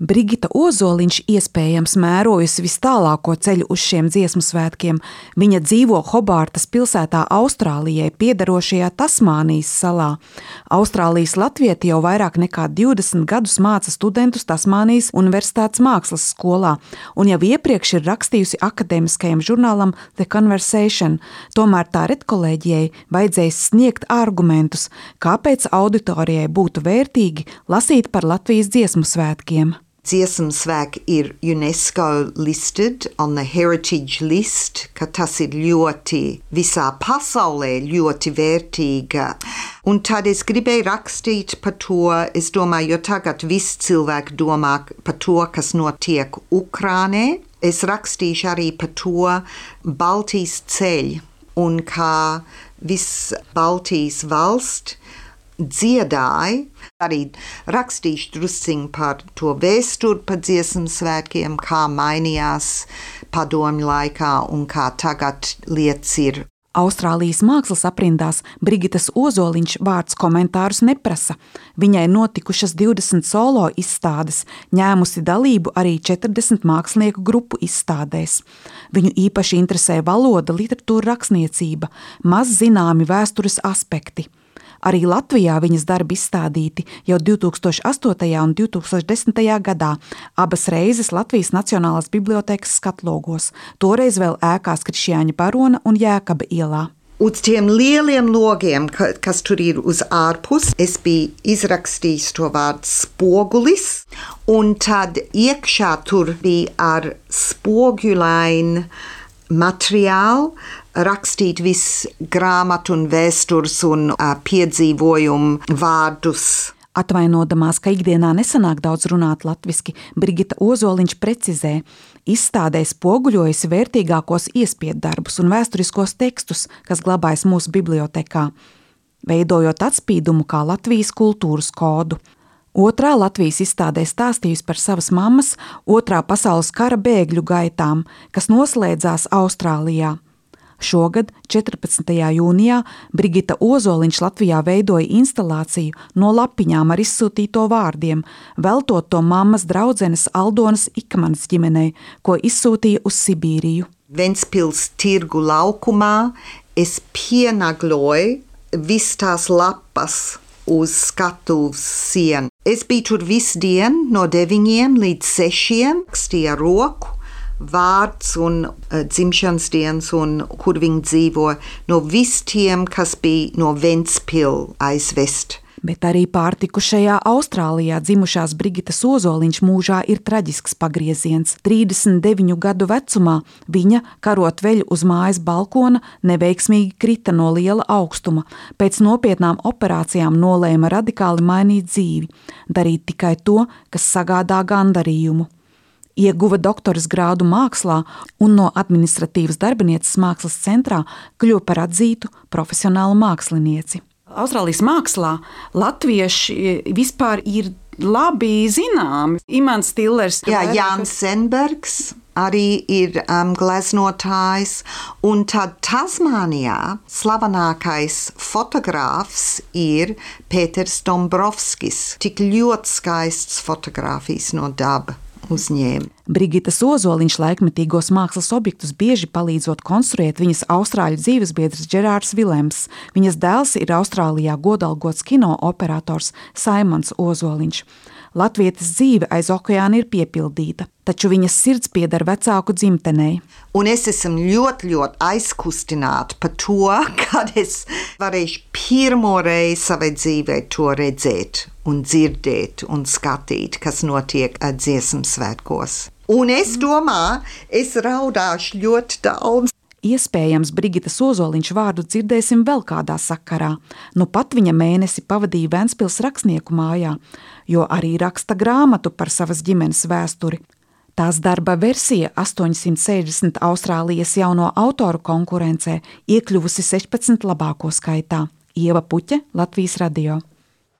Brigita Ozoliņš iespējams mērojusi vis tālāko ceļu uz šiem dziesmu svētkiem. Viņa dzīvo Hobārtas pilsētā Austrālijai piederošajā Tasmānijas salā. Austrālijas latvieti jau vairāk nekā 20 gadus māca studentus Tasmānijas Universitātes mākslas skolā un jau iepriekš ir rakstījusi akadēmiskajam žurnālam The Conversation. Tomēr tā redkolēģijai vajadzēja sniegt argumentus, kāpēc auditorijai būtu vērtīgi lasīt par Latvijas dziesmu svētkiem. Dziesmu svētki ir UNESCO listed on the heritage list, ka tas ir ļoti visā pasaulē ļoti vērtīga. Un tad es gribēju rakstīt par to, es domāju, jo tagad viss cilvēki domā par to, kas notiek Ukrainā. Es rakstīšu arī par to Baltijas ceļu un kā viss Baltijas valsts dziedāja. Arī rakstīšu drusciņ par to vēsturi par dziesmu svētkiem, kā mainījās padomju laikā un kā tagad lietas ir. Austrālijas mākslas aprindās Brigitas Ozoliņš vārds komentārus neprasa. Viņai notikušas 20 solo izstādes, ņēmusi dalību arī 40 mākslinieku grupu izstādēs. Viņu īpaši interesē valoda, literatūra, rakstniecība, maz zināmi vēstures aspekti. Arī Latvijā viņas darbi izstādīti jau 2008. un 2010. gadā, abas reizes Latvijas Nacionālās bibliotēkas skatlogos, toreiz vēl ēkās Krišjāņa Barona un Jēkaba ielā. Uz tiem lieliem logiem, kas tur ir uz ārpus, es biju izrakstījis to vārdu spogulis, un tad iekšā tur bija ar spoguļainu materiālu, rakstīt visu grāmatu un vēstures un piedzīvojumu vārdus. Atvainodamās, ka ikdienā nesanāk daudz runāt latviski, Brigita Ozoliņš precizē, izstādē spoguļojusi vērtīgākos iespiedarbus un vēsturiskos tekstus, kas glabājas mūsu bibliotekā, veidojot atspīdumu kā Latvijas kultūras kodu. Otrā Latvijas izstādē stāstījusi par savas mammas Otrā pasaules kara bēgļu gaitām, kas noslēdzās Austrālijā. Šogad, 14. jūnijā, Brigita Ozoliņš Latvijā veidoja instalāciju no lapiņām ar izsūtīto vārdiem, veltot to mammas draudzenes Aldonas Ikmanas ģimenei, ko izsūtīja uz Sibīriju. Ventspils tirgu laukumā es pienagloju vis tās lapas uz skatuves sienu. Es biju tur visu dienu no 9 līdz 6, rakstīju ar roku, vārds un dzimšanas dienas un kur viņi dzīvo, no visiem, kas bija no Ventspils aizvest. Bet arī pārtikušajā Austrālijā dzimušās Brigitas Ozoliņš mūžā ir traģisks pagrieziens. 39 gadu vecumā viņa, karot veļu uz mājas balkona, neveiksmīgi krita no liela augstuma. Pēc nopietnām operācijām nolēma radikāli mainīt dzīvi, darīt tikai to, kas sagādā gandarījumu. Ieguva doktoras grādu mākslā un no administratīvas darbinieces mākslas centrā kļuva par atzītu profesionālu mākslinieci. Austrālijas mākslā latvieši vispār ir labi zināmi. Imants Stillers. Jā, Jānis Senbergs arī ir gleznotājs. Un tad Tasmānijā slavenākais fotogrāfs ir Pēters Dombrovskis. Tik ļoti skaists fotogrāfijas no daba uzņēma. Brigitas Ozoliņš laikmetīgos mākslas objektus bieži palīdzot konstruēt viņas austrāļu dzīvesbiedrs Džerārds Vilems. Viņas dēls ir Austrālijā godalgots kino operators Saimons Ozoliņš. Latvietes dzīve aiz okeāna ir piepildīta, taču viņas sirds pieder vecāku dzimtenei. Un es esmu ļoti aizkustināta par to, kad es varēšu pirmo reizi savai dzīvē to redzēt un dzirdēt un skatīt, kas notiek dziesmu svētkos. Un es domāju, es raudāšu ļoti daudz. Iespējams, Brigitas Ozoliņš vārdu dzirdēsim vēl kādā sakarā. Nu pat viņa mēnesi pavadīja Ventspils rakstnieku mājā, jo arī raksta grāmatu par savas ģimenes vēsturi. Tās darba versija 860 Austrālijas jauno autoru konkurencē iekļuvusi 16 labāko skaitā. Ieva Puķe, Latvijas radio.